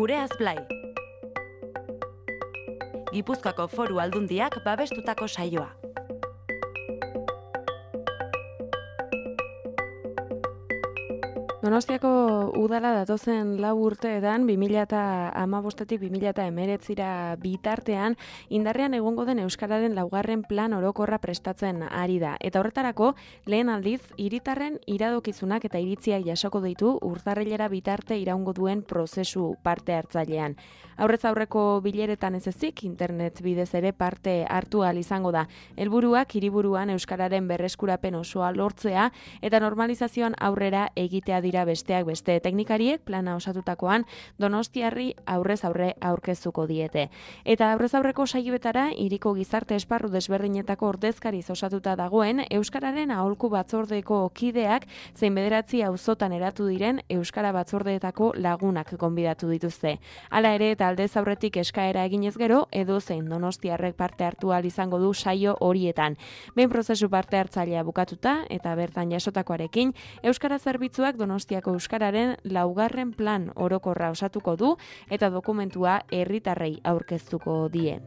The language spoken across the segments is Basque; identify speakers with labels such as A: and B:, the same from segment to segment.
A: Gureaz Blai. Gipuzkoako Foru Aldundiak babestutako saioa.
B: Donostiako udala datozen 4 urteetan 2015-tik 2019 bitartean indarrean egongo den euskararen 2. plan orokorra prestatzen ari da. Eta horretarako lehen aldiz hiritarren iradokizunak eta iritziak jasoko ditu urtarrilera bitarte iraungo duen prozesu parte hartzailean. Aurrez aurreko bileretan ez ezik internet bidez ere parte hartu ahal izango da. Helburuak hiriburuan euskararen berreskurapen osoa lortzea eta normalizazioan aurrera egitea dira besteak beste. Teknikariek plana osatutakoan Donostiarri aurrez aurre aurkeztuko diete. Eta aurrez aurreko saioetara hiriko gizarte esparru desberdinetako ordezkariz osatuta dagoen euskararen aholku batzordeko kideak zein 9 auzotan eratu diren euskara batzordeetako lagunak gonbidatu dituzte. Hala ere eta aldez aurretik eskaera eginez gero edozein Donostiarrek parte hartu ahal izango du saio horietan. Behin prozesu parte hartzailea bukatuta eta bertan jasotakoarekin euskara zerbitzuak Donostiako euskararen 2. plan orokorra osatuko du eta dokumentua herritarrei aurkeztuko die.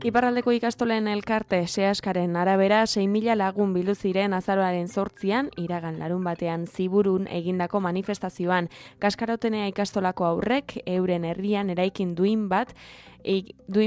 B: Iparraldeko ikastolen elkarte sehaskaren arabera 6.000 lagun bildu ziren azaroaren 8an iragan larunbatean Ziburun egindako manifestazioan. Kaskarotenea ikastolako aurrek euren herrian eraikin duin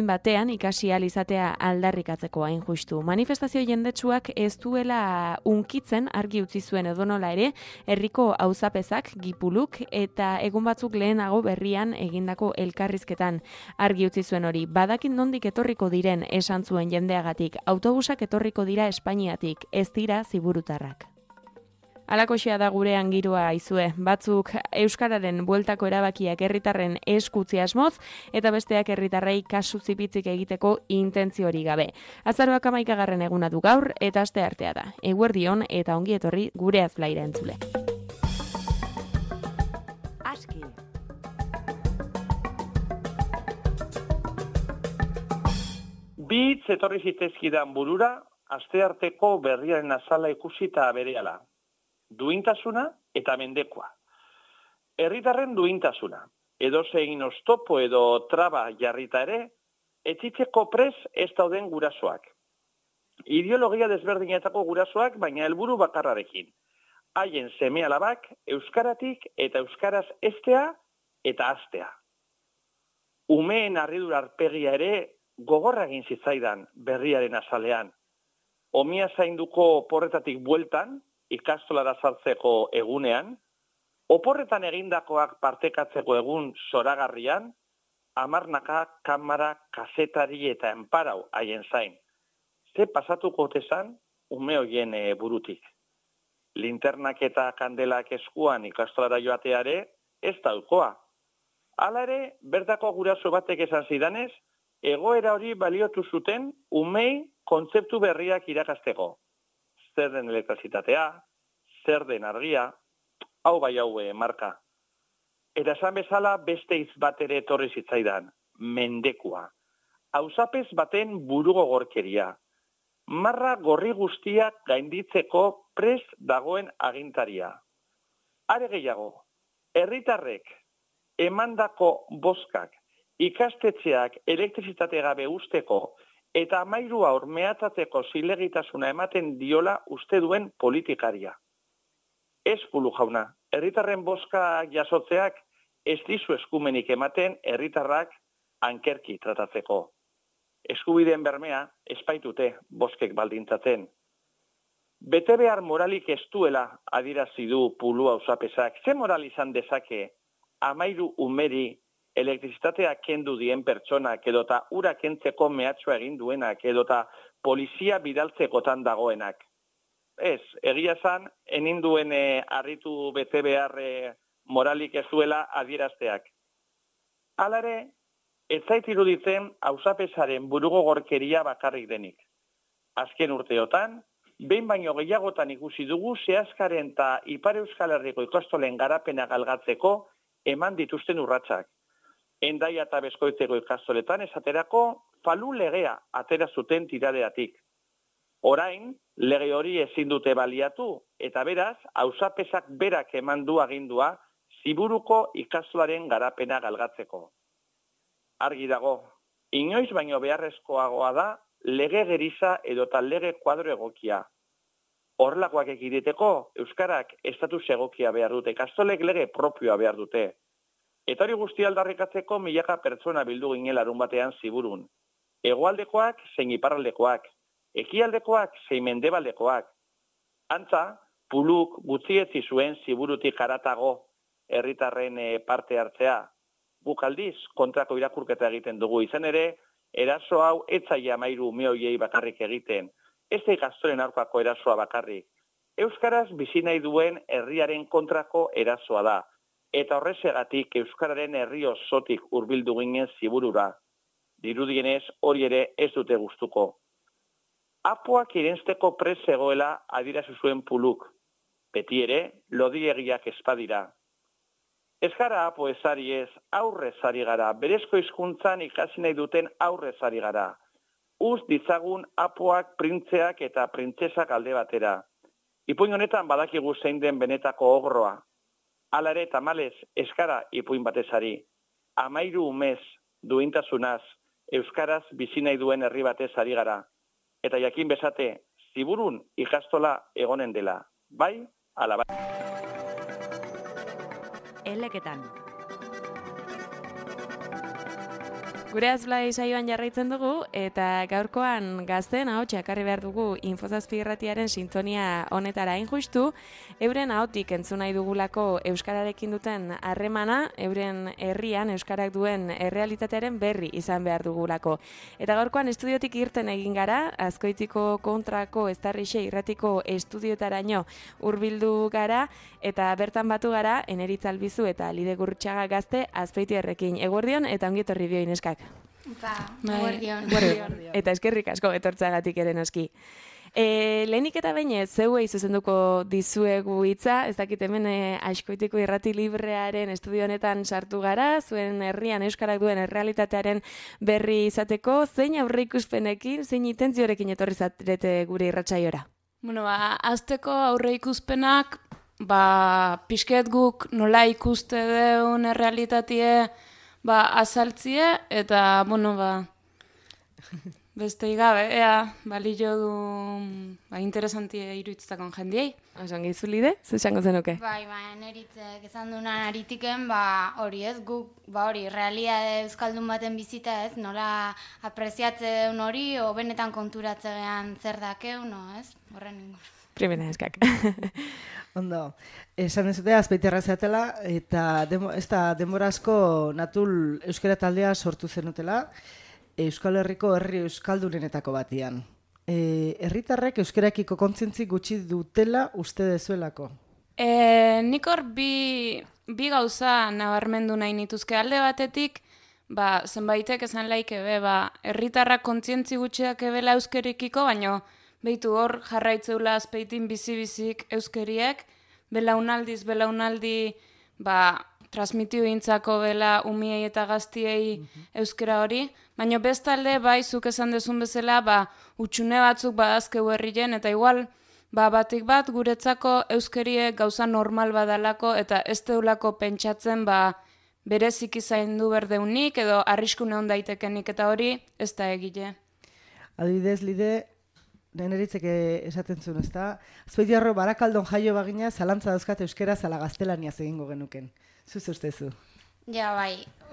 B: batean ikasi ahal izatea aldarrikatzeko hain justu. Manifestazio jendetsuak ez duela unkitzen argi utzi zuen edonola ere herriko auzapezak, gipuluk eta egun batzuk lehenago berrian egindako elkarrizketan argi utzi zuen hori. Badakin nondik etorriko diren esan zuen jendeagatik, autobusak etorriko dira Espainiatik, ez dira ziburutarrak. Alakoxea da gurean giroa aizue. Batzuk euskararen bueltako erabakiak herritarren eskutzi asmoz eta besteak herritarrei kasu zipitzik egiteko intentzio hori gabe. Azaroak 11. eguna du gaur eta asteartea da. Eguerdion eta ongi etorri Gureaz Blaira entzule.
A: Aski.
C: Bi hitz etorri zitezkidan burura, astearteko berriaren azala ikusita berehala. Duintasuna eta mendekoa. Herritarren duintasuna. Edozein oztopo edo traba jarrita ere, etxitzeko pres ez dauden gurasoak. Ideologia desberdinetako gurasoak, baina helburu bakarrarekin. Haien seme-alabak euskaratik eta euskaraz estea eta astea. Umeen harridura arpegia ere gogorra egin zitzaidan berriaren azalean. Omia zainduko porretatik bueltan, ikastolara sartzeko egunean, oporretan egindakoak partekatzeko egun zoragarrian, hamarnaka, kamara, kazetari eta enparau haien zain. Ze pasatuko tezan ume hoien burutik. Linternak eta kandelak eskuan ikastolara joateare ez daukoa. Hala ere, bertako guraso batek esan zidanez, egoera hori baliotu zuten umei kontzeptu berriak irakasteko. Zer den elektrizitatea, zer den argia, hau bai marka. Eta esan bezala beste hitz bat ere etorri zitzaidan, mendekua. Auzapez baten burugogorkeria. Marra gorri guztiak gainditzeko prest dagoen agintaria. Are gehiago, herritarrek emandako bozkak, ikastetxeak elektrizitate gabe usteko eta 13 haur mehatzatzeko zilegitasuna ematen diola uste duen politikaria. Ez Pulu jauna, herritarren bozka jasotzeak ez dizu eskumenik ematen herritarrak ankerki tratatzeko. Eskubideen bermea espaitute bozkek baldintzatzen. Bete behar moralik ez duela adierazi du Pulu auzapezak. Ze moral izan dezake 13 umeri elektrizitatea kendu dien pertsonak edota ura kentzeko mehatxua egin duenak edota polizia bidaltzekotan dagoenak. Ez, egia zan, enin duen harritu bete behar moralik ez duela adierazteak. Hala ere, ez zait iruditzen auzapezaren burugogorkeria bakarrik denik. Azken urteotan, behin baino gehiagotan ikusi dugu sehaskaren eta Ipar Euskal Herriko ikastolen garapena galgatzeko eman dituzten urratsak. Hendaia eta Beskoitzeko ikastoletan esaterako falu legea atera zuten tiradeatik. Orain, lege hori ezin dute baliatu, eta beraz, auzapezak berak eman du agindua ziburuko ikastolaren garapena galgatzeko. Argi dago, inoiz baino beharrezkoagoa da lege geriza edota lege kuadro egokia. Horrelakoak ekiditeko, euskarak estatus egokia behar dute, ikastolek lege propioa behar dute. Eta hori guztia aldarrikatzeko milaka pertsona bildu ginen larun batean ziburun. Hegoaldekoak zein iparraldekoak, ekialdekoak zein mendebaldekoak. Antza, Puluk gutxietzi zuen ziburutik haratago herritarren parte hartzea. Guk aldiz kontrako irakurketa egiten dugu, izan ere, eraso hau ez zaila 13 ume horiei bakarrik egiten. Ez da ikastolen aurkako erasoa bakarrik. Euskaraz bizi nahi duen herriaren kontrako erasoa da. Eta horrexegatik euskararen herri osotik hurbildu ginen ziburura. Dirudienez hori ere ez dute gustuko. Apoak irensteko prest zegoela adierazi zuen Puluk. Beti ere, lodiegiak espadira. Ez gara apo ezari ez, aurrez ari gara, berezko hizkuntzan ikasi nahi duten aurrez ari gara. Uz ditzagun apoak printzeak eta printzesak alde batera. Ipuin honetan badakigu zein den benetako ogroa. Hala ere, tamalez, ez gara ipuin batezari. 13 umez duintasunaz, euskaraz bizi nahi duen herri batez ari gara. Eta jakin bezate, ziburun ikastola egonen dela. Bai, ala bai.
A: Eleketan.
B: Gure azblai saioan jarraitzen dugu, eta gaurkoan gazteen ahotsa ekarri behar dugu Infozazpi irratiaren sintonia honetara hain justu, euren ahotik entzun nahi dugulako euskararekin duten harremana, euren herrian euskarak duen errealitatearen berri izan behar dugulako. Eta gaurkoan estudiotik irten egin gara, Azkoitiko kontrako Eztarrixe irratiko estudiotaraino hurbildu gara, eta bertan batu gara, Eneritz Albizu eta Lide Gurrutxaga gazte Azpeitiarrekin. Eguerdion eta ongi etorri bioi neskak.
D: Eguerdion.
B: Eta eskerrik asko etortzagatik ere noski. Lehenik eta behin zeuei zuzenduko dizuegu hitza, ez dakit hemen Azkoitiko irrati librearen estudio honetan sartu gara, zuen herrian euskarak duen errealitatearen berri izateko, zein aurreikuspenekin, zein intentziorekin etorri zarete gure irratsaiora?
D: Bueno, azteko aurreikuspenak, pixket guk nola ikuste deun errealitatea azaltzie, eta, beste igabe, balio du interesantie iruditzakon jendiei.
B: Osan gizu Lide, zesango zenuke?
E: Bai, Neritzek esan dunan aritiken, hori ez, guk, hori, realitate euskaldun baten bizita ez, nola apreziatze deun hori, o benetan konturatzean zer dakeun, ez? Horren ingur.
B: Primera eskak.
F: Ondo, esan dezute Azpeitiarra zeatela, eta ez da denbora asko Natul euskara taldea sortu zenutela, Euskal Herriko herri euskaldunenetako batian. Herritarrek euskarakiko kontzientzi gutxi dutela uste dezuelako?
D: Nik hor bi gauza nabarmendu nahi nituzke alde batetik, zenbaitek esan laike herritarrak kontzientzi gutxiak ebela euskerikiko, baino behitu hor jarraitzeula Azpeitin bizi-bizik euskeriek, belaunaldi transmitiu intzako bela umiei eta gaztiei euskera hori, baina bestalde zuk esan dezun bezala utxune batzuk badazkeu herrien, eta igual batik bat guretzako euskeriek gauza normal badalako eta ez deulako pentsatzen berezik izaindu berdeunik edo arriskune hon daitekenik, eta hori ez da egile.
F: Adibidez, Lide, Neneritzek esaten zuen, ez da? Azpeitiarro Barakaldon jaio bagina, zalantza dauzkat euskera zala gaztelaniaz egingo genuken. Zuz ustezu?
E: Ja,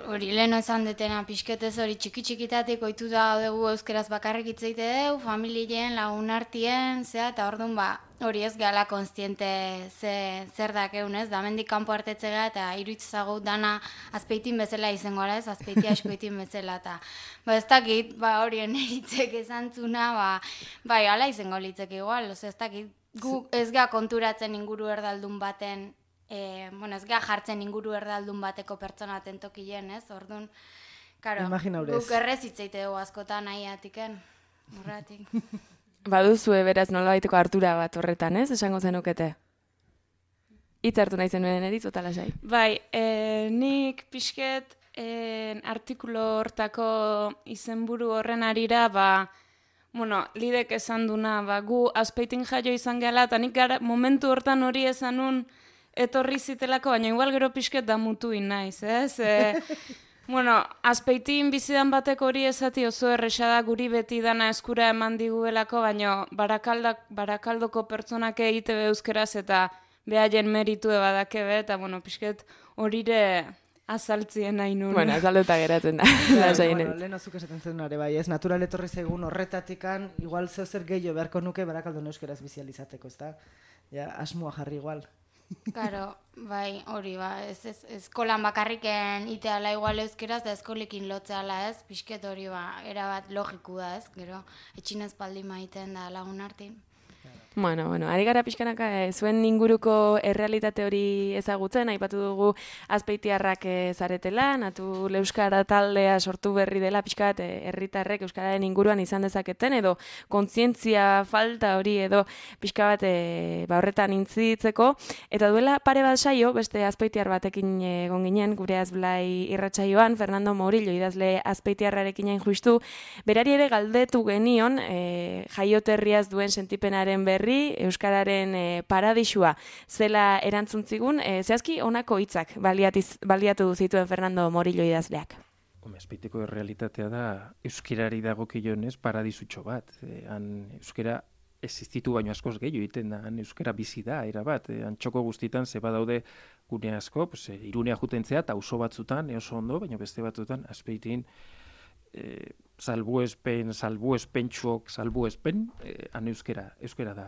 E: hori leheno esan detena pixketez hori txiki-txikitatik oitu da dugu euskeraz bakarrik hitzeite dugu, familien, lagun artien, eta orduan hori ez gala konstiente zer dakeun ez, da mendik kanpo hartetzea eta iruitzago dana Azpeitin bezala izango gara ez, Azpeiti Azkoitin bezala, eta ez dakit, hori Neritzek esan zuna, ala izango litzek igual, ez dakit, gu ez ga konturatzen inguru erdaldun baten, ez ga jartzen inguru erdaldun bateko pertsona tentokilen, ez? Orduan, guk errez hitzeite dugu askotan nahi atiken, horretik.
B: Baduzue beraz nolabaiteko hartura bat horretan, ez? Esango zenukete? Hitz hartu nahi zenuen Eritz, bota lasai.
D: Bai, nik pixket artikulo hortako izenburu horren arira, Lidek esan duna, gu Azpeitin jaio izan gehala, eta nik momentu hortan hori esan nun, etorri zitelako, baina igual gero pixket damutuin naiz, ez? Bueno, Azpeitin bizidan batek hori esati oso erresa da guri beti dana eskura eman diguelako, baina Barakaldoko pertsonak egite euskeraz eta behaien meritue badake be, eta bueno, pixket horire azaltzien nahi nun.
B: Bueno, azalduta geratzen da.
F: Bueno, lehen azuk esaten zen ere bai, ez natural etorri zaigun horretatikan, igual zer gehiago beharko nuke Barakaldon euskeraz bizializateko, ez da? Ja, asmoa jarri igual.
E: Claro, bai, hori, eskolan bakarriken iteala igual euskeraz, da eskolekin lotzeala ez, pixket hori, erabat logiku da ez, gero, etxinez paldi maiten da lagun artin.
B: Bueno, ari gara pixkanaka zuen inguruko errealitate hori ezagutzen, aipatu dugu azpeitiarrak zaretela, Natul Euskara taldea sortu berri dela pixkat herritarrek euskararen inguruan izan dezaketen, edo kontzientzia falta hori edo pixka bat horretan intzitzeko, eta duela pare bat saio, beste azpeitiar batekin egon ginen, gure Azblai irratsaioan, Fernando Morillo idazle azpeitiarrarekin hain justu, berari ere galdetu genion jaioterriaz duen sentipenaren berri, euskararen paradisua zela erantzun zigun, zehazki honako hitzak baliatu zituen Fernando Morillo idazleak.
G: Azpeitiko errealitatea da euskarari dagokionez paradisutxo bat. Euskara existitu baino askoz gehiago egiten da, euskara bizi da, erabat. Antxoko guztietan ze badaude gune asko, Irunea jutentzea eta auzo batzutan, oso ondo, baina beste batzutan Azpeitin salbuespen, han euskera da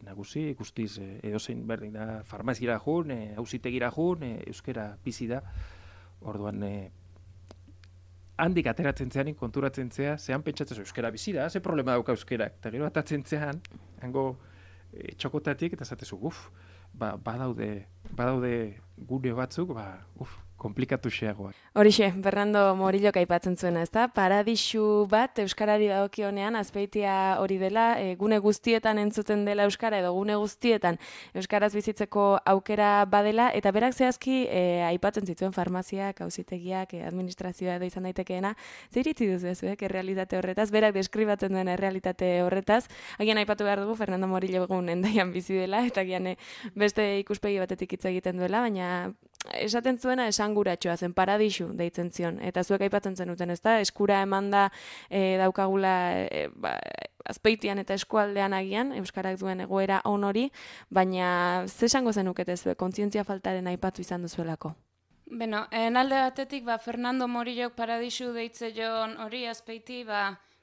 G: nagusi, guztiz edozein berdin da, farmaziara jun, auzitegira jun, euskera bizi da, orduan handik ateratzen zean, konturatzen zea, zehan pentsatzen euskera bizi da, ze problema dauka euskerak, eta gero atatzen zean, hango txokotatik, eta zatezu, badaude gune batzuk, komplikatu xeagoak.
B: Horixe, Fernando Morillo aipatzen zuena, ezta? Paradisu bat euskarari dagokionean Azpeitia hori dela, gune guztietan entzuten dela euskara edo gune guztietan euskaraz bizitzeko aukera badela, eta berak zehazki aipatzen zituen farmaziak, auzitegiak, administrazioa edo izan daitekeena. Zer iritzi duzu ez, errealitate horretaz, berak deskribatzen duen errealitate horretaz. Agian aipatu behar dugu Fernando Morillo egun Hendaian bizi dela, eta agian beste ikuspegi batetik hitz egiten duela, baina esaten zuena esanguratxoa zen, paradisu deitzen zion. Eta zuek aipatzen zenuten, ezta? Eskura emanda daukagula Azpeitian eta eskualdean agian, euskarak duen egoera on hori, baina ze esango zenukete zuek, kontzientzia faltaren aipatu izan duzuelako?
D: Beno, alde batetik, Fernando Morillok paradisu deitze joan hori Azpeiti,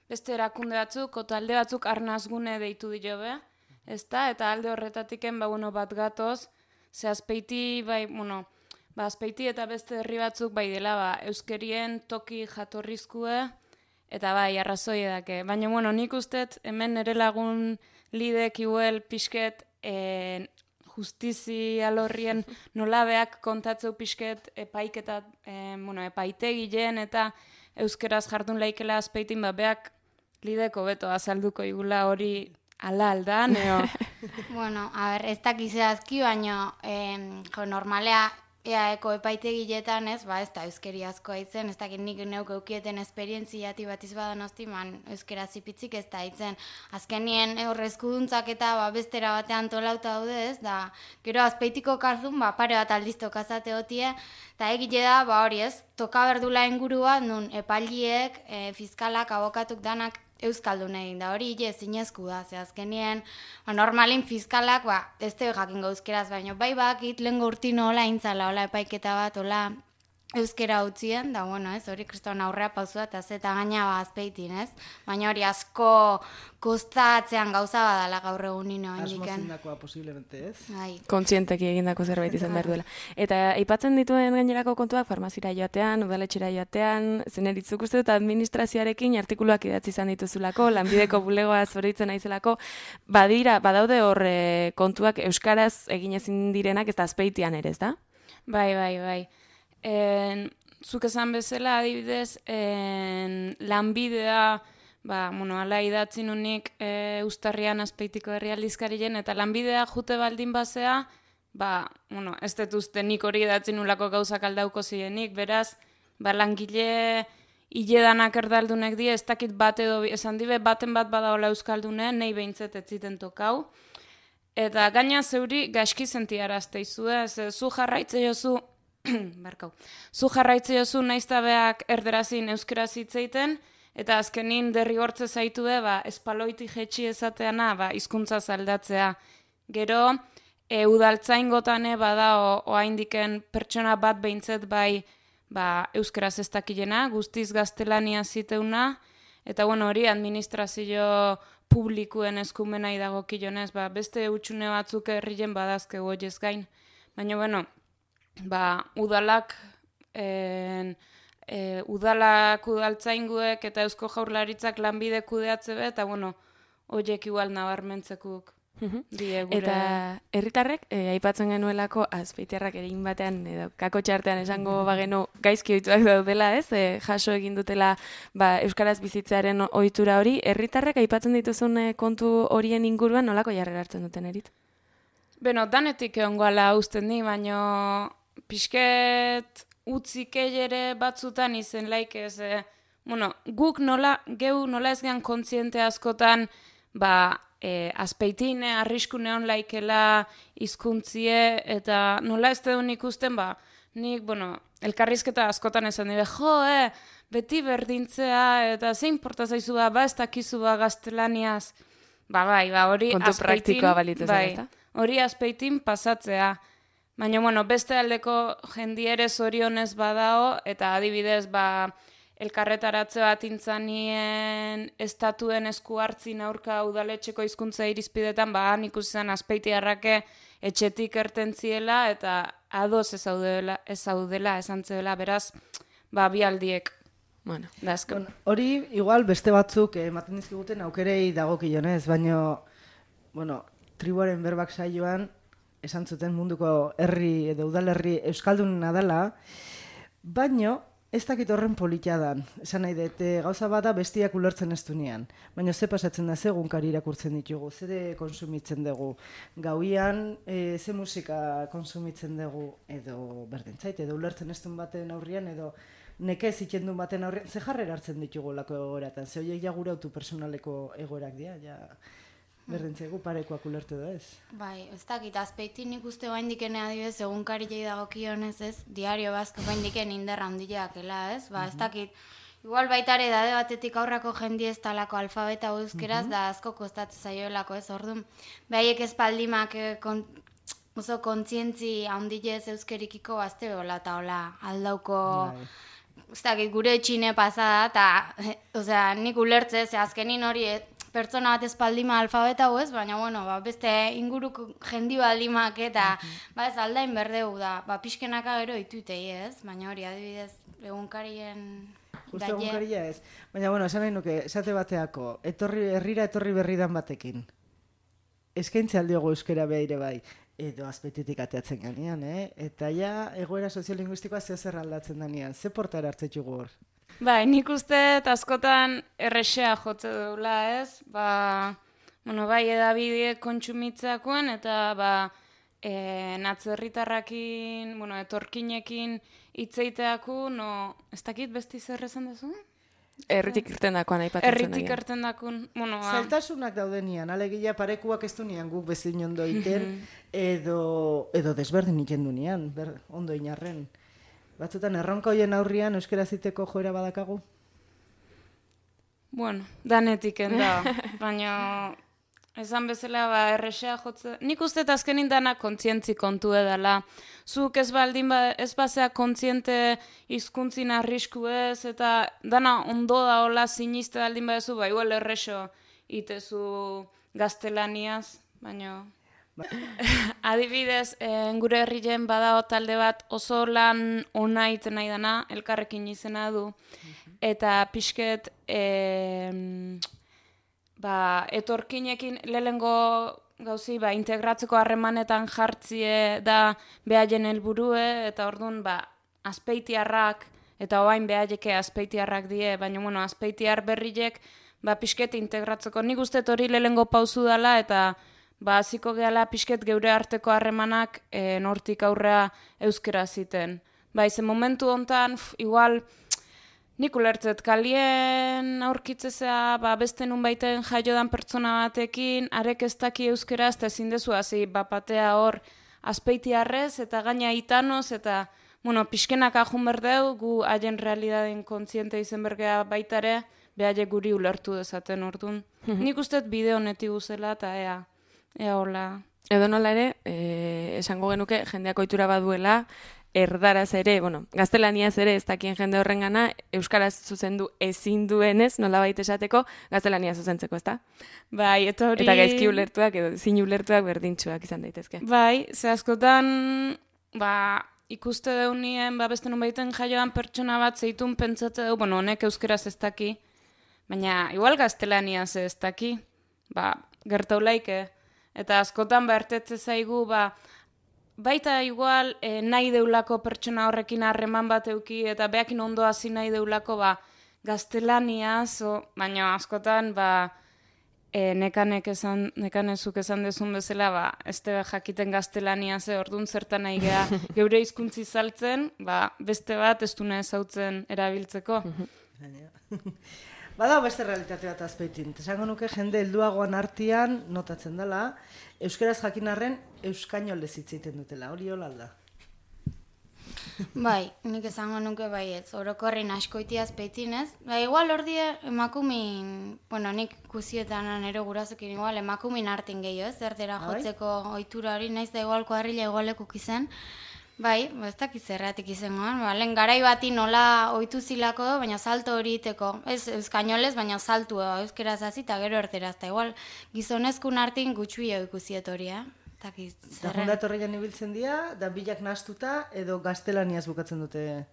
D: beste erakunde batzuk, eta alde batzuk arnazgune deitu diobe, ezta? Eta alde horretatiken, bat gatoz, ze Azpeiti, Azpeiti eta beste herri batzuk dela euskerien toki jatorrizkue eta arrazoi edake. Baina, nik ustet hemen nire lagun lidek iuel pixket justizi alorrien nolabeak kontatzeu pixket epaitegilen eta euskeraz jardun laikela Azpeitin beak lideko beto azalduko igula hori ala aldan, eo?
E: Bueno, ez dakizazki, baina normalea eaeko epaitegiletan ez da euskeri asko haitzen, ez dakit nik neuk eukieten esperientziati bat izbadan hosti, euskera zipitzik ez da haitzen. Azkenien horrezkuduntzak eta bestera batean tolauta daude ez, da gero Azpeitiko karzun pare bat aldiz tokazate hotie, eta egile da hori ez, toka berdula ingurua, nun epailiek, fiskalak, abokatuk danak euskaldun egin da, hori zinezku da, ze azkenien, normalin fiskalak, ez tebe jakingo euskeraz, baina bakit lehengo urtino hola intzala, hola epaiketa bat, hola euskera utzien, da, hori kriston aurrea pausua, eta zeta gaina Azpeitin, ez? Baina hori asko kostatzean gauza badala gaur egunino.
F: Asmo zindakoa posiblemente, ez?
B: Kontzienteki egindako zerbait izan behar duela. Eta aipatzen dituen gainerako kontuak, farmazira joatean, udaletxera joatean, zeneritzuk uste dut administrazioarekin artikuluak idatzi izan dituzulako, lanbideko bulegoa zoritzen naizelako, badaude hor kontuak euskaraz egin ezin direnak, ez da Azpeitian ere, ez da?
D: Bai. Zuk esan bezala, adibidez, lanbidea, ala idatzi nunik Uztarrian Azpeitiko herrialdizkarien, eta lanbidea jute baldin bazea, ez dut uste nik hori idatzi nulako gauzak aldauko zirenik, beraz, langile hiledanak erdaldunek die, ez dakit bat edo, esan dibe, baten bat badaola euskaldune, nahi behintzet ez ziten tokau. Eta gaina zeuri gaizki sentiarazte izu, zu jarraitze jozu, zu jarraitze jozu naiztabeak erderazin euskeraz hitzeiten, eta azkenin derrigortze zaitu espaloiti jetxi ezateana, hizkuntza aldatzea. Gero, udaltzaingotane bada oaindiken pertsona bat behintzet euskeraz ez dakilena, guztiz gaztelania ziteuna, eta hori administrazio publikuen eskumenai dagokionez, beste utxune batzuk herrien badazkegu hoiez gain. Baina, udalak udaltzainguek eta Eusko Jaurlaritzak lanbide kudeatze eta horiek igual nabarmentzekuk die gure.
B: Eta herritarrek aipatzen genuelako Azpeitiarrak egin batean edo kako txartean esango bagenu gaizki ohituak daudela, jaso egin dutela euskaraz bizitzearen ohitura hori. Herritarrek aipatzen dituzun kontu horien inguruan nolako jarrera hartzen duten erit?
D: Danetik egongoala usten di, baino pixket utzik ere batzutan izen laik ez. Guk nola ez gehan kontziente askotan Azpeitin arrisku neon laikela hizkuntzie eta nola ez duen ikusten, nik, elkarrizketa askotan esan dira, beti berdintzea eta zein porta zaizu ez dakizu gaztelaniaz. Hori
B: kontu praktikoa balitzen zen,
D: hori Azpeitin pasatzea. Baina, beste aldeko jendiere zorionez badao, eta adibidez, elkarretaratze bat intzanien estatuen esku hartzin aurka udaletxeko hizkuntza irizpidetan, nik usten Azpeitiarrake etxetik ertentziela, eta ados ez zaudela, esan zebela, beraz, bi aldiek.
F: Hori, igual, beste batzuk ematen dizkiguten aukerei dagokionez, baina, tribuaren berbak saioan, esan zuten munduko herri edo udalerri euskaldunena dela, baino ez dakit horren politia dan. Esan nahi dut, gauza bada bestiak ulertzen ez dunean. Baina ze pasatzen da, ze egunkari irakurtzen ditugu, ze konsumitzen dugu. Gauian, ze musika konsumitzen dugu, edo berdintzait, edo ulertzen ez duen baten aurrian, edo nekez ikendun baten aurrian, ze jarrera hartzen ditugu lako egoeratan. Ze horiek ja gure autu personaleko egoerak dira, ja... Berdintzegu parekoak ulertu da ez?
E: Ez dakit, Azpeitin ikuste baindiken adibidez, egunkari jai dagokionez ez, diario bazko baindiken inderra handiakela ez, ez dakit, igual baitare dade batetik aurrako jendi ez talako alfabeta euskeraz, da asko kostatzen zaioelako ez, orduan, behaiek ez paldimak oso kontzientzi handilez euskerikiko bazte behola eta hola aldauko... Ez dakit, gure txine pasada, eta nik ulertze, azkenin hori pertsona bat espaldima alfabeta ez, baina, beste inguruko jendi baldimak eta, ez aldain berdeu da, pixkenaka gero itutei ez, baina hori adibidez, egunkarien...
F: Justo egunkaria ez, baina, esan nahi nuke, esate bateako, herrira etorri berridan batekin, eskaintze aldiogo euskera behaire bai, edo Azpeititik ateatzen ganean, eta ja, egoera soziolinguistikoa zer aldatzen danean, ze portara hartzetxugu hor?
D: Nik uste askotan errexea jotze duela ez, edabide kontsumitzeakoen eta natzerritarrakin, etorkinekin hitzeiteaku, ez dakit besti zer esan dezu?
B: Erritik irten dakoan aipatzen zen.
D: Erritik irten dakun,
F: zailtasunak daudenian, alegia parekuak ez dunean guk bezin ondo iten, edo desberdin iten dunean, ondo inarren. Batzutan erronka hoien aurrian euskera ziteko joera badakagu?
D: Danetik enda, baina esan bezala errexea jotze. Nik uste azkenin dana kontzientzi kontu edala. Zuk ez baldin ez bazea kontziente hizkuntzin arrisku ez, eta dana ondo da hola siniste baldin badezu, igual errexo itezu gaztelaniaz, baina... Adibidez, gure herrien badao talde bat oso lan ona iten nahi dana, elkarrekin izena du, eta pixket etorkinekin lehengo gauzi integratzeko harremanetan jartzie da behaien helburue, eta orduan Azpeitiarrak, eta oain behaieke Azpeitiarrak die, baina Azpeitiar berriek pixket integratzeko. Nik uste hori lehengo pauzu dela, eta hasiko gehala pixket geure arteko harremanak nortik aurrea euskera ziten. Ze momentu hontan, igual, nik ulertzet, kalien aurkitzezea, beste nun baiten jaiodan pertsona batekin, arek ez daki euskeraz, eta ezin dezu, hasi, bapatea hor, azpeitiarrez, eta gaina itanoz, eta, pixkenak ajun berdeu, gu haien realidaden kontziente izen bergea baitare, behaile guri ulertu dezaten orduan. Nik usteet bide honetik guzela, eta ea hola.
B: Edo nola ere, esango genuke jendeak ohitura baduela, erdaraz ere, gaztelaniaz ere ez dakien jende horrengana, euskaraz zuzendu ezin duenez, nolabait esateko, gaztelania zuzentzeko, ezta?
D: Bai, eta hori...
B: Eta gaizki ulertuak edo zin ulertuak berdintxuak izan daitezke.
D: Bai, ze askotan, ikuste deunien, beste nun baiten jaioan pertsona bat zeitun pentsatze du, honek euskeraz ez daki, baina igual gaztelaniaz ez daki, gertaulaike, eta askotan bertetze zaigu, baita igual nahi deulako pertsona horrekin harreman bat euki, eta beakin ondo hasi nahi deulako gaztelaniaz, baina askotan nekanezuk esan dezun bezala, ez tebe jakiten gaztelaniaz, orduan zertan nahi geha geure hizkuntzi saltzen, beste bat ez duna ezautzen erabiltzeko.
F: Bada beste realitate bat Azpeitin. Esango nuke jende helduagoan artean notatzen dela, euskeraz jakin arren euskainolez hitz egiten dutela. Hori hola alda?
E: Bai, nik esango nuke baietz. Orokorrin askoiti Azpeitin ez. Igual ordi emakumin, nik kusietan nero gurasokin igual emakumin artin gehiago ez, erdera jotzeko ohitura hori, naiz da igual kuadrilla igualekuk izen. Bai, ez dakiz zerratik izangoan, lehen garai bati nola ohitu zilako, baina salto hori iteko, ez euskainolez, baina saltu euskeraz hasi eta gero erderaz, eta igual gizonezkun artin gutxuio ikusiet hori, dakiz zerren.
F: Eta jundatorreian ibiltzen dira, da bilak nahastuta edo gaztelaniaz bukatzen dute?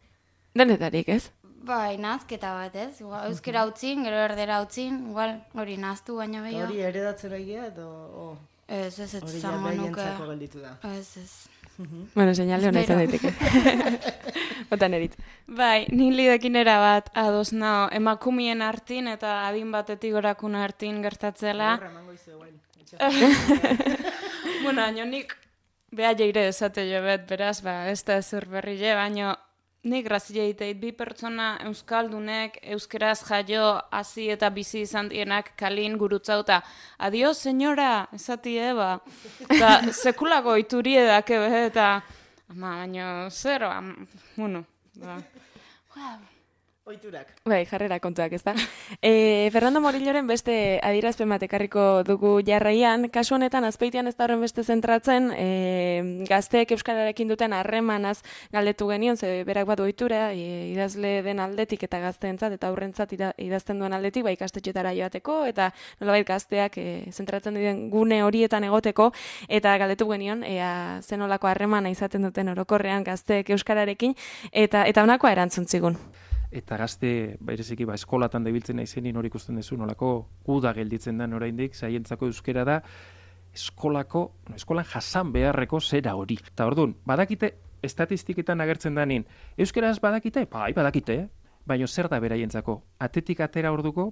B: Denetarik, ez?
E: Bai, nahazketa bat, ez? Euskera utzin, gero erdera utzin, igual hori nahaztu baina behiago.
F: Hori eredatzen egia edo...
E: Ez
F: zango nuke. Hori jabeientzako gelditu da.
E: Ez.
B: Señale hona izan daiteke. Otan erit.
D: Bai, nik lidekin bat ados nao, emakumien artin eta adin batetik gorakun artin gertatzela. Nik beha jeire esate jo bet, beraz, ez da ezer berrile, baino nik grazile egiteit bi pertsona euskaldunek, euskeraz jaio, hasi eta bizi izan dienak kalin gurutzauta. Adio, senyora, esati eba. Eta sekulako ituri edake behe, eta baino, zero,
F: Oiturak.
B: Bai, jarrera kontuak, ez da. Fernando Morilloren beste adierazpen bat ekarriko dugu jarraian. Kasu honetan, Azpeitian ez da horren beste zentratzen, gazteek euskararekin duten harremanaz galdetu genion, ze berak bat ohitura, idazle den aldetik eta gazteentzat eta aurrentzat idazten duen aldetik, ikastetxetara joateko, eta nolabait gazteak zentratzen diren gune horietan egoteko, eta galdetu genion, zenolako harremana izaten duten orokorrean gazteek euskararekin, eta honakoa erantzun zigun.
G: Eta gazte, bereziki, eskolatan debiltzen naizenin hori ikusten duzu, nolako guda gelditzen da oraindik, zaientzako euskera da, eskolan jasan beharreko zera hori. Eta orduan, badakite, estatistiketan agertzen danin, euskeraz badakite? Bai, badakite, baina zer da beraientzako? Atetik atera orduko,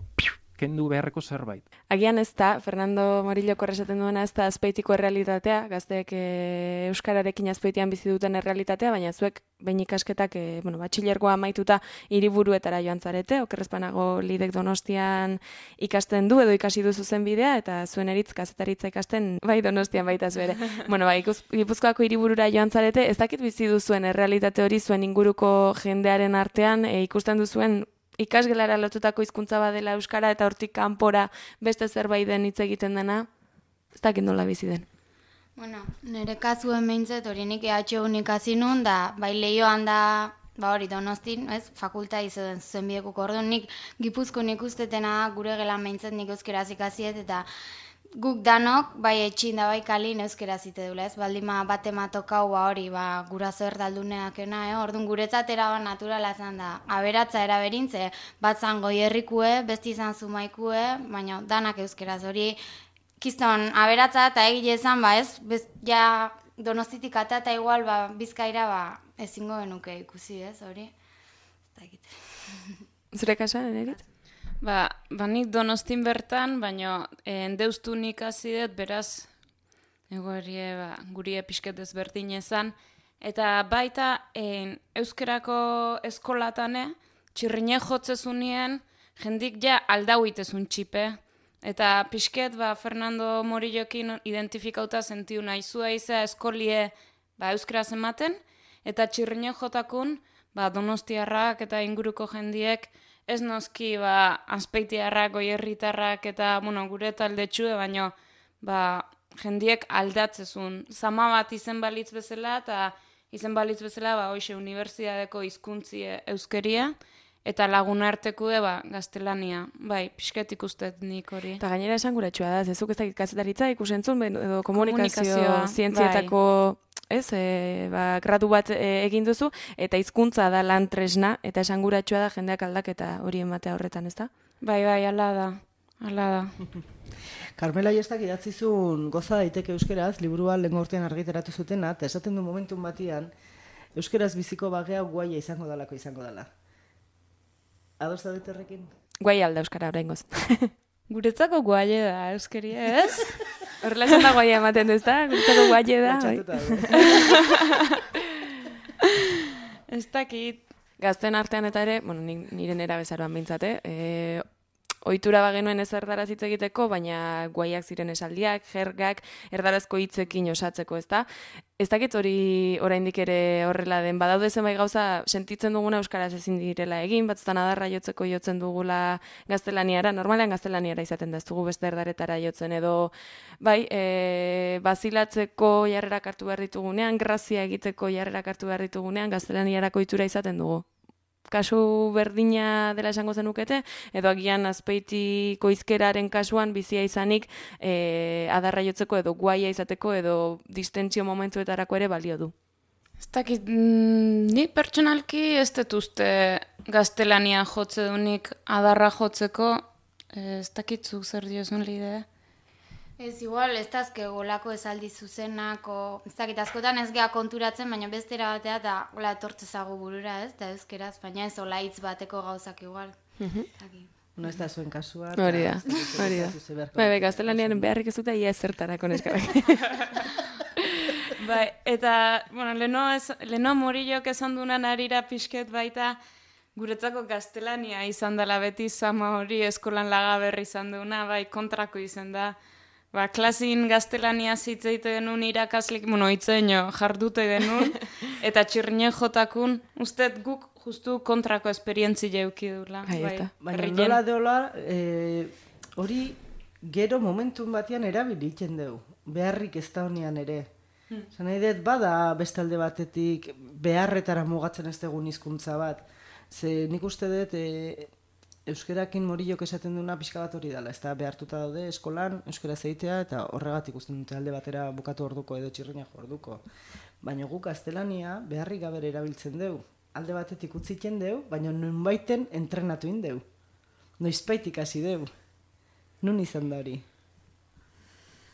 G: kendu beharreko zerbait.
B: Agian ez da, Fernando Morilloko esaten duena ez da Azpeitiko errealitatea, gazteek euskararekin Azpeitian bizi duten errealitatea, baina zuek behin ikasketak batxilergoa amaituta hiriburuetara joan zarete, okerrezpanago lidek Donostian ikasten du edo ikasi du zuzen bidea, eta zuen eritz kazetaritza ikasten bai Donostian baita zuere. Gipuzkoako hiriburura joan zarete, ez dakit bizi duzuen errealitate hori zuen inguruko jendearen artean, ikusten duzuen ikasgelara lotutako hizkuntza badela euskara eta hortik kanpora beste zerbait den hitz egiten dena, ez dakit nola bizi den.
E: Nire kasuen behintzet hori nik EHUn ikasi nun, da bai Leioan da, hori Donostin, fakulta izaten zuzen bidekuk orduan, nik Gipuzkoan ikustetena gure gelan behintzet nik euskeraz ikasiet, eta guk danok, bai etxin da bai kalin euskeraz ite dula, baldima bat ematokau hori, guraso erdalduneakena, orduan guretzat eraban naturala zan da, aberatza eraberintze, bat zan goierrikue, besti izan zumaikue, baina danak euskeraz hori, kiston aberatza eta egile ezan, ja Donostitik eta igual Bizkaira ezingo genuke ikusi, hori?
B: Zure kasan, erit?
D: Nik Donostin bertan, baina endeustun ikasi dut, beraz, gurie pixket ezberdin ezan, eta baita euskerako eskolatane, txirrine jotzezunien, jendik ja aldauitezun txipe. Eta pixket, Fernando Morillokin identifikauta sentiu naizua izea eskolie euskaraz ematen, eta txirrine jotakun, donostiarrak eta inguruko jendiek, ez noski azpeitiarrak, goierritarrak eta gure taldetxue, baino jendiek aldatzezun. Zama bat izen balitz bezala, eta izen balitz bezala hoxe unibertsitateko hizkuntzi euskeria, eta lagunartekue gaztelania. Bai, pixket ikustet nik hori.
B: Eta gainera esan guratxua da, zezuk ez dakit kazetaritza ikusentzun, edo komunikazio zientzietako gradu bat egin duzu, eta hizkuntza da lan tresna, eta esan guratxua da jendeak aldaketa hori ematea horretan, ez da?
D: Bai, ala da.
F: Carmela Iestak idatzizun Goza daiteke euskeraz, liburua lehengo urtean argitaratu zutena, eta esaten du momentun batian, euskeraz biziko bagea guaia izango dela. Ados da horrekin?
B: Guai alda euskara oraingoz.
D: Guretzako guaie da, euskeria, ez?
B: Horrela esan da guaia ematen duz da? Guretzako guaie da.
D: Ez dakit.
B: Gazten artean eta ere, nire nera bezaroan bintzate, ohitura bagenuen ez erdaraz hitz egiteko, baina guaiak ziren esaldiak, jergak, erdarazko hitzekin osatzeko, ezta? Ez dakit hori oraindik ere horrela den, badaude zenbait gauza sentitzen duguna euskaraz ezin direla egin, batzutan adarra jotzen dugula gaztelaniara, normalean gaztelaniara izaten da, ez dugu beste erdaretara jotzen, edo bazilatzeko jarrerak hartu behar ditugunean, grazia egiteko jarrerak hartu behar ditugunean, gaztelaniarako ohitura izaten dugu. Kasu berdina dela esango zenukete, edo agian Azpeitiko hizkeraren kasuan bizia izanik adarra jotzeko edo guaia izateko edo distentsio momentuetarako ere balio du.
D: Ez dakit, ni pertsonalki ez dut uste gaztelania jotze dunik adarra jotzeko, ez dakit zuk zer diozun lidea.
E: Ez igual, ez dazke golako esaldi zuzenako, ez dakit, askotan ez geha konturatzen, baina bestera batea eta gola etortzezago burura, ez, eta euskeraz, baina ez ola hitz bateko gauzak igual.
F: No ez da zuen kasua.
B: Hori da. Bai, gaztelanian beharrik ez dute ia ezertarako neskarak.
D: Bai, eta, leno Morillok esan dunan arira pixket baita, guretzako gaztelania izan dela beti zama hori eskolan lagaberri izan duna, bai, kontrako izan da. Klasin gaztelania zitzeite genuen irakaslik, itzeino jardute genuen, eta txirrine jotakun, usted guk justu kontrako esperientzi jeuki dula.
F: Baina nola deola, hori gero momentun batean erabilitzen dugu, beharrik ez da honean ere. Zan nahi dut, bada bestalde batetik beharretara mugatzen ez dugun hizkuntza bat. Ze nik uste dut, euskerakin Morillok esaten duna pixka bat hori dela, ez da behartuta daude eskolan euskera zeitea eta horregatik usten dute alde batera bukatu orduko edo txirrina orduko. Baina guk gaztelania beharrik gabe erabiltzen dugu. Alde batetik utziten dugu, baina nunbaiten entrenatu indeu. Noizbait ikasi dugu. Nun izan da hori?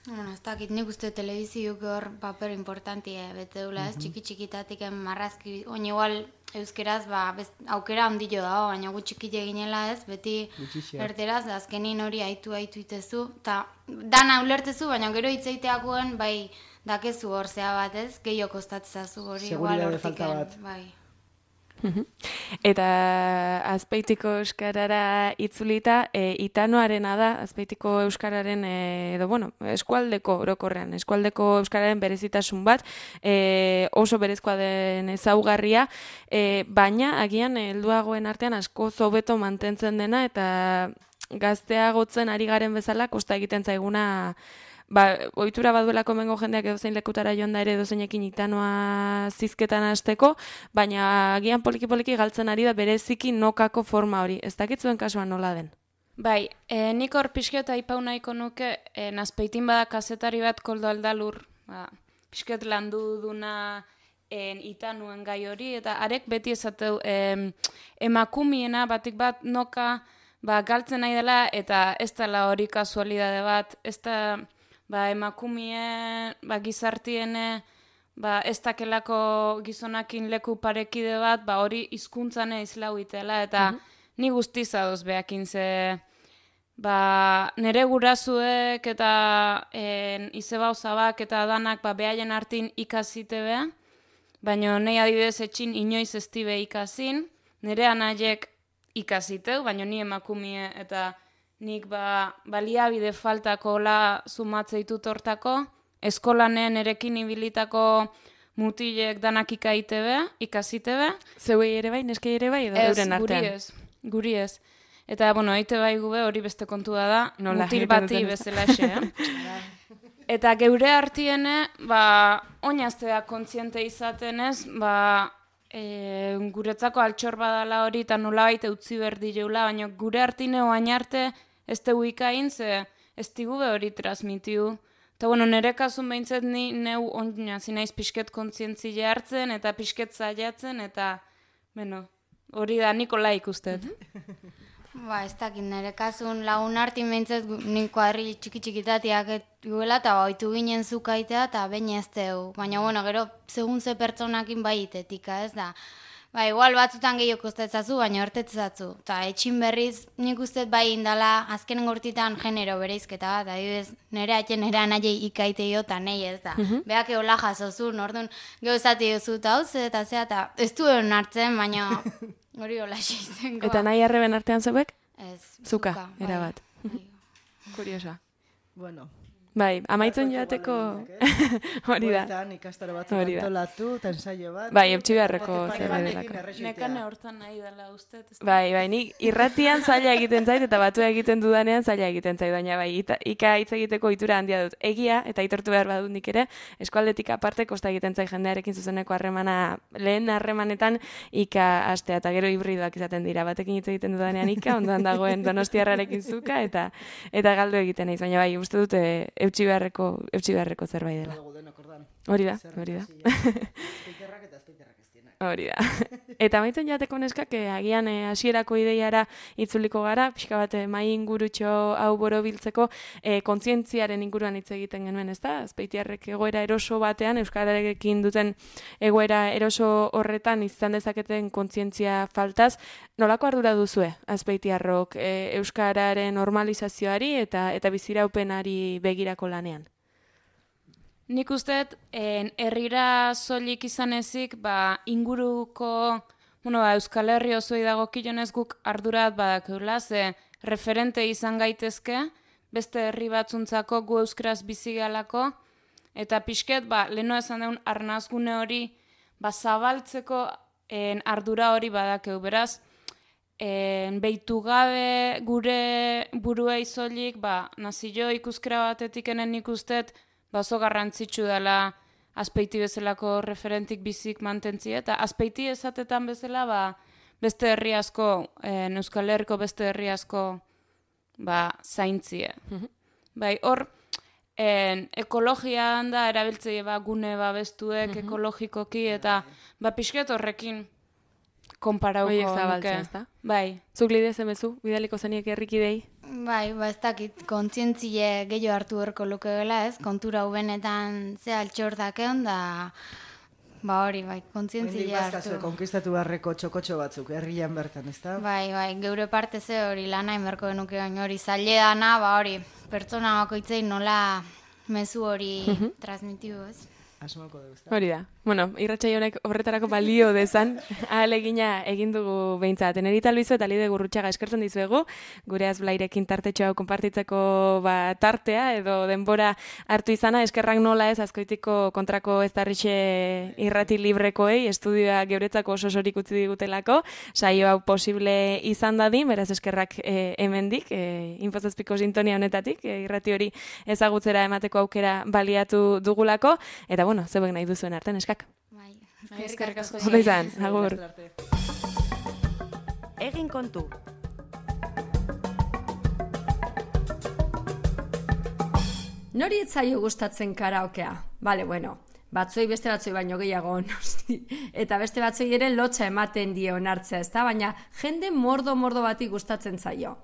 E: Ez dakit, nik uste telebiziuk hor paper importantia bete dula, ez? Txiki-txikitatik marrazki, oin igual euskeraz aukera ondillo dago, baina gu txikite ginela ez, beti erteraz, azkenin hori aitu itezu, eta dana ulertezu, baina gero hitzeiteakoen, bai, dakezu hor zea bat ez, gehiago kostatzezazu hori igual hortiken, bai.
B: Eta Azpeitiko euskarara itzulita, itanoarena da, Azpeitiko euskararen, eskualdeko orokorrean, eskualdeko euskararen berezitasun bat, oso berezkoa den ezaugarria, baina agian helduagoen artean asko hobeto mantentzen dena, eta gazteagotzen ari garen bezala, kosta egiten zaiguna, ohitura baduelako mengo jendeak edozein lekutara joan da ere edozeinekin itanoa zizketan hasteko, baina agian poliki-poliki galtzen ari da bereziki nokako forma hori. Ez dakitzuen kasuan nola den?
D: Bai, nik hor pixket aipau nahiko nuke, Azpeitin bada kazetari bat Koldo Aldalur, pixket landu duna itanuen gai hori, eta arek beti esateu emakumiena batik bat noka galtzen nahi dela, eta ez dela hori kasualidade bat, ez da emakumien, gizartiene, ez dakelako gizonakin leku parekide bat, hori hizkuntzane izlau itela, eta ni guztiz adoz behakin ze, nere gurazuek eta izebauzabak eta danak behaien hartin ikasite beha, baina nahi adibidez etxin inoiz ez dibe ikasin, nere anaiek ikasiteu, baina ni emakumie eta nik baliabide faltako la sumatzeitut hortako, eskolanen erekin ibilitako mutilek danak ikasitebe.
B: Zeuei ere bai, neskei ere bai, edo euren artean?
D: Guri ez. Eta, eite bai gube hori beste kontua da, mutil bati bezalaxe, Eta geure artiene, oinaztea kontziente izaten ez, guretzako altxor badala hori eta nolabait utzi berdi jeula, baina gure artine oain arte ez tegu ikain, ze ez digube hori transmitiu. Eta nire kasun behintzet ni neu oinazi naiz pixket kontzientzile hartzen eta pixket zaiatzen, eta hori da Nikola ikustet.
E: Ez dakit, nire kasun lagun hartin behintzet nik kuadri txiki-txikitatiak guela eta oitu ginen zukaitea eta bain ez teu. Baina, gero, segun ze pertsonakin bai itetika, ez da. Igual batzutan gehiok ustetzazu, baina hortetzatzu. Eta etxin berriz nik ustet bai indala azkenen gortitan genero bereizketa bat, adibidez, nire atxe nire anaiei ikaiteio eta nahi ez da. Beak eola jasozun, orduan geho esati duzu eta hau ze eta zea eta ez duen hartzen, baina hori hola xeizengoa.
B: Eta nahi arreben artean zebek?
E: Ez.
B: Zuka, erabat. Kuriosa.
F: Bueno.
B: Bai, amaitzen joateko hori da.
F: Bueltan ikastaro batzuk antolatu, eta ensaio bat.
B: Bai, eutxi beharreko zerbait delako.
D: Nekane hortan nahi dela ustet.
B: Bai, nik irratian zaila egiten zait, eta batua egiten dudanean zaila egiten zait, baina bai, ika hitz egiteko ohitura handia dut. Egia, eta aitortu behar badut nik ere, eskualdetik aparte kosta egiten zait jendearekin zuzeneko harremana, lehen harremanetan ika astea, eta gero hibridoak izaten dira. Batekin hitz egiten dudanean ika, ondoan dagoen donostiarrarekin zuka, eta galdu egiten naiz, baina bai, uste dut eutxi beharreko zerbait dela. Hori da. Hori da. Eta maitzen jateko neskak, agian hasierako ideiara itzuliko gara, pixka bat mai ingurutxo hau borobiltzeko, kontzientziaren inguruan hitz egiten genuen, ez da? Azpeitiarrek egoera eroso batean, euskararekin duten egoera eroso horretan izan dezaketen kontzientzia faltaz, nolako ardura duzue, Azpeitiarrok, euskararen normalizazioari eta biziraupenari begirako lanean?
D: Nik usteet, herrira soilik izan ezik, inguruko, Euskal Herri osoi dagokionez guk ardurat badakeula, ze referente izan gaitezke, beste herri batzuntzako gu euskaraz bizi galako, eta pixket, leheno esan deun arnazgune hori, zabaltzeko ardura hori badakeu, beraz, behitu gabe gure buruei soilik, nazio ikuskera batetik enen ikusteet, oso garrantzitsu dela Azpeiti bezalako referentik bizik mantentzi, eta Azpeiti esatetan bezala beste herri asko, Euskal Herriko beste herri asko zaintzie. Bai, hor, ekologian da erabiltzei gune babestuek ekologikoki, eta pixket horrekin konparauko.
B: Oiek zabaltzen, ez da?
D: Bai.
B: Zuk lidez emezu, bidaliko zeniek herrikidei?
E: Bai, ez dakit, kontzientzile gehiago hartu erko lukeela, ez? Kontura hubenetan ze altxor dakeon, da hori, kontzientzile hartu.
F: Bazkazue, konkistatu beharreko txokotxo batzuk, herrian bertan, ez da?
E: Bai, geure parte ze hori lana inberko genuke hori zaile dana, hori, pertsona bakoitzei nola mezu hori transmitiu, ez?
F: Asmako dugu, ez da?
B: Hori da. Irratsaio honek horretarako balio dezan, ahalegina egin dugu behintzat. Enerita Luizo eta Lide Gurrutxaga eskertzen dizuegu, gure Azblairekin tartetxo hau konpartitzeko tartea edo denbora hartu izana, eskerrak nola ez Azkoitiko kontrako ez darrixe irrati librekoei, estudioa geuretzako oso sorik utzi digutelako, saio hau posible izan dadin, beraz eskerrak hemendik, Infozazpiko sintonia honetatik, irrati hori ezagutzera emateko aukera baliatu dugulako, eta zeuek nahi duzuen artean, eskak.
E: Bai,
D: eskerrik asko.
B: Ondo izan, agur.
A: Egin kontu.
H: Nori etzaio gustatzen karaokea? Batzuei beste batzui baino gehiago, noski. Eta beste batzui ere lotxa ematen dio onartzea, ezta? Baina jende mordo bati gustatzen zaio.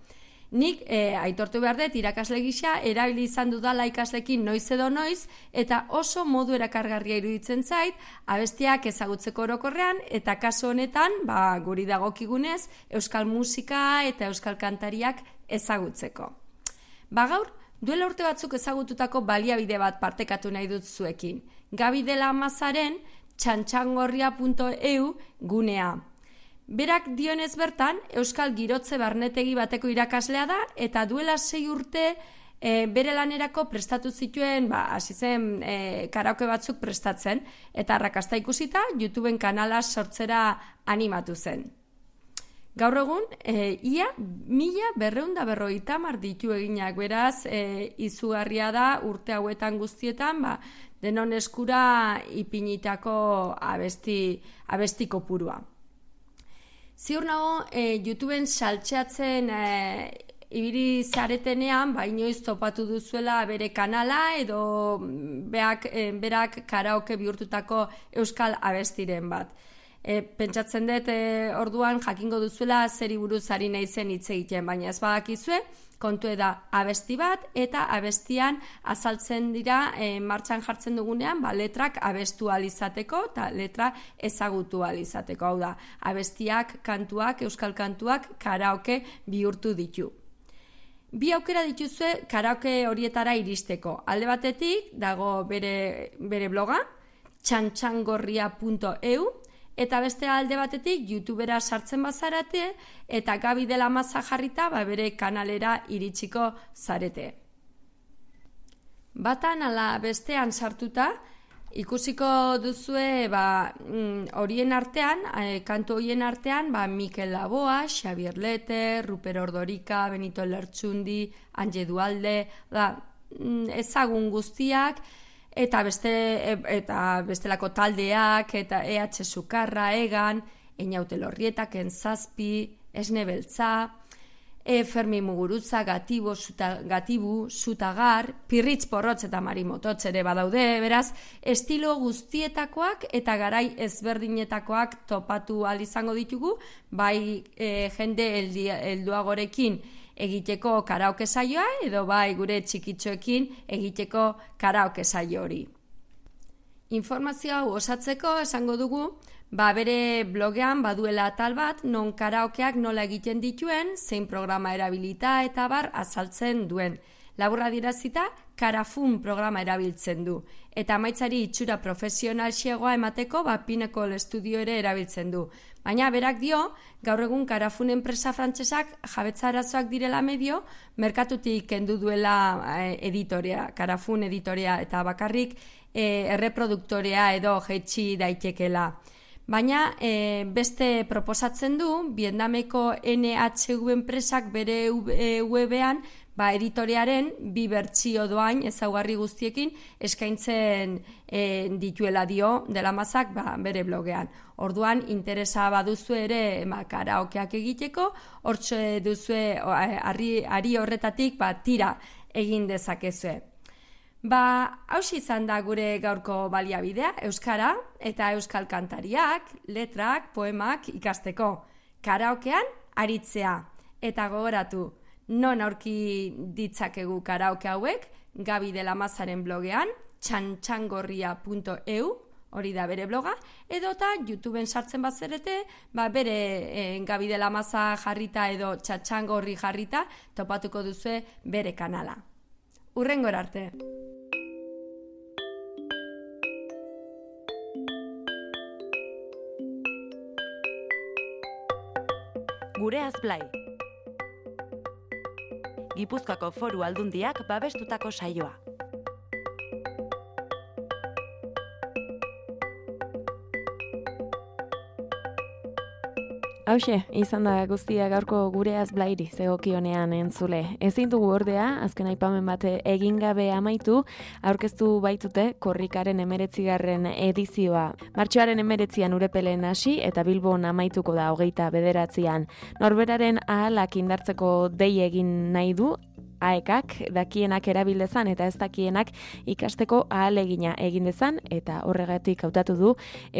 H: Nik aitortu behar dut irakasle gisa erabili izan dudala ikaslekin noiz edo noiz eta oso modu erakargarria iruditzen zait abestiak ezagutzeko orokorrean eta kasu honetan guri dagokigunez euskal musika eta euskal kantariak ezagutzeko. Gaur, duela urte batzuk ezagututako baliabide bat partekatu nahi dut zuekin. Gabi dela Amazaren txantxangorria.eu gunea. Berak dionez bertan, Euskal Girotze Barnetegi bateko irakaslea da, eta duela 6 urte bere lanerako prestatu zituen, hasi zen karaoke batzuk prestatzen, eta arrakasta ikusita, YouTubeen kanala sortzera animatu zen. Gaur egun, ia 1250 ditu eginak, beraz, izugarria da urte hauetan guztietan, denon eskura ipinitako abesti kopurua. Ziur nago, YouTubeen saltxeatzen ibili zaretenean, inoiz topatu duzuela bere kanala edo berak karaoke bihurtutako euskal abestiren bat. Pentsatzen dut orduan jakingo duzuela zeri buruz ari naizen hitz egiten, baina ez badakizue, kontu da abesti bat eta abestian azaltzen dira martxan jartzen dugunean letrak abestu ahal izateko eta letra ezagutu ahal izateko. Hau da, abestiak, kantuak, euskal kantuak karaoke bihurtu ditu. Bi aukera dituzue karaoke horietara iristeko. Alde batetik dago bere bloga, txantxangorria.eu, eta beste alde batetik YouTubera sartzen bazarate eta Gabi de la Maza jarrita bere kanalera iritsiko zarete. Batan ala bestean sartuta ikusiko duzue horien artean, kantu horien artean, Mikel Laboa, Xabier Lete, Ruper Ordorika, Benito Lertxundi, Anje Dualde, ezagun guztiak, eta bestelako taldeak, eta EH Sukarra, Egan, Einaute Lorrietak, Enzazpi, Esne Beltza, Fermi Muguruza, Gatibu, Zutagar, Pirritz Porrotz eta Marimototz ere badaude, beraz, estilo guztietakoak eta garai ezberdinetakoak topatu ahal izango ditugu, bai jende helduagorekin egiteko karaoke saioa, edo bai gure txikitxoekin egiteko karaoke saio hori. Informazio hau osatzeko esango dugu, bere blogean baduela atal bat non karaokeak nola egiten dituen, zein programa erabilita eta azaltzen duen. Laburra dirazita, Karafun programa erabiltzen du. Eta amaitzari itxura profesional xegoa emateko, Pinnacle Studio ere erabiltzen du. Baina berak dio, gaur egun Karafun enpresa frantsesak jabetza arazoak direla medio, merkatutik kendu duela editorea, Karafun editorea, eta bakarrik erreproduktorea edo jetxi daitekela. Baina beste proposatzen du, Vietnameko NHV enpresak bere webean editorearen 2 bertsio doain ezaugarri guztiekin eskaintzen dituela dio de la Mazak bere blogean. Orduan interesa baduzu ere karaokeak egiteko, hortxe duzue ari horretatik tira egin dezakezue. Hauxe izan da gure gaurko baliabidea, euskara eta euskal kantariak, letrak, poemak ikasteko. Karaokean aritzea. Eta gogoratu, non aurki ditzakegu karaoke hauek, Gabi de la Mazaren blogean, txantxangorria.eu, hori da bere bloga, edota YouTubeen sartzen bazerete, bere Gabi de la Maza jarrita edo txantxangorri jarrita topatuko duzue bere kanala. Hurrengora arte!
A: Gureaz Blai. Gipuzkoako Foru Aldundiak babestutako saioa.
B: Hauxe, izan da guztia gaurko Gureaz Blairi zegokionean entzule. Ezin dugu ordea, azken aipamen bat egin gabe amaitu, aurkeztu baitute Korrikaren 19. edizioa. Martxoaren 19 Urepelen hasi eta Bilbon amaituko da 29. Norberaren ahalak indartzeko dei egin nahi du, aekak dakienak erabildezan eta ez dakienak ikasteko ahalegina egin dezan eta horregatik hautatu du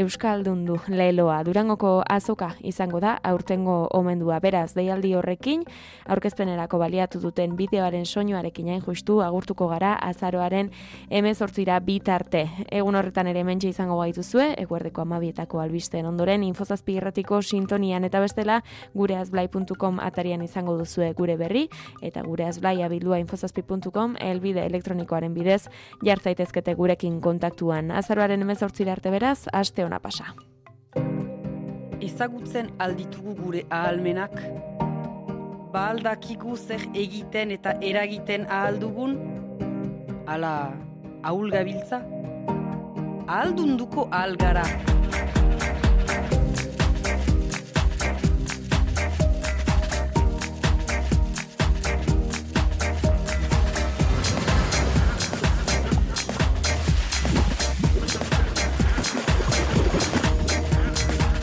B: Euskaldundu leloa. Durangoko azoka izango da aurtengo omendua. Beraz, deialdi horrekin aurkezpenerako baliatu duten bideoaren soinuarekin hain justu agurtuko gara azaroaren 18 bitarte. Egun horretan ere hementxe izango gaituzue, eguerdeko 12etako albisten ondoren Infozazpi irratiko sintonian eta bestela gureazblai.com atarian izango duzue gure berri eta gureazblai bildua infozazpi.com elbide elektronikoaren bidez jartzaitezkete gurekin kontaktuan. Azaroaren 18 arte beraz, aste ona pasa.
I: Ezagutzen alditugu gure ahalmenak? Ba aldakigu zer egiten eta eragiten ahaldugun? Ala, ahul gabiltza? Ahaldunduko ahalgara.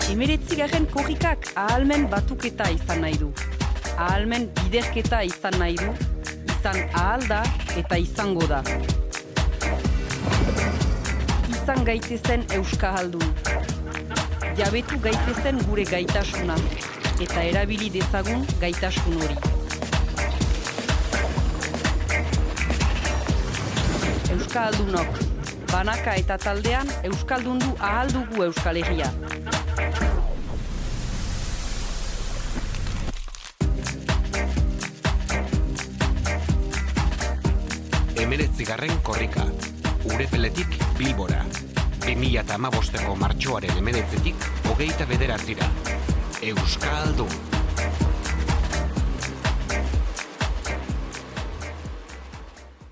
I: Hemeretzigarren korrikak ahalmen batuketa izan nahi du. Ahalmen biderketa izan nahi du, izan ahal da eta izango da. Izan gaitezen euskahaldun. Jabetu gaitezen gure gaitasuna, eta erabili dezagun gaitasun hori. Euskahaldunok, banaka eta taldean euskaldundu ahal dugu Euskal Herria.
J: Hemeretzigarren korrika, Urepeletik Bilbora. 2015ko martxoaren 19-tik 29. Euskaldun.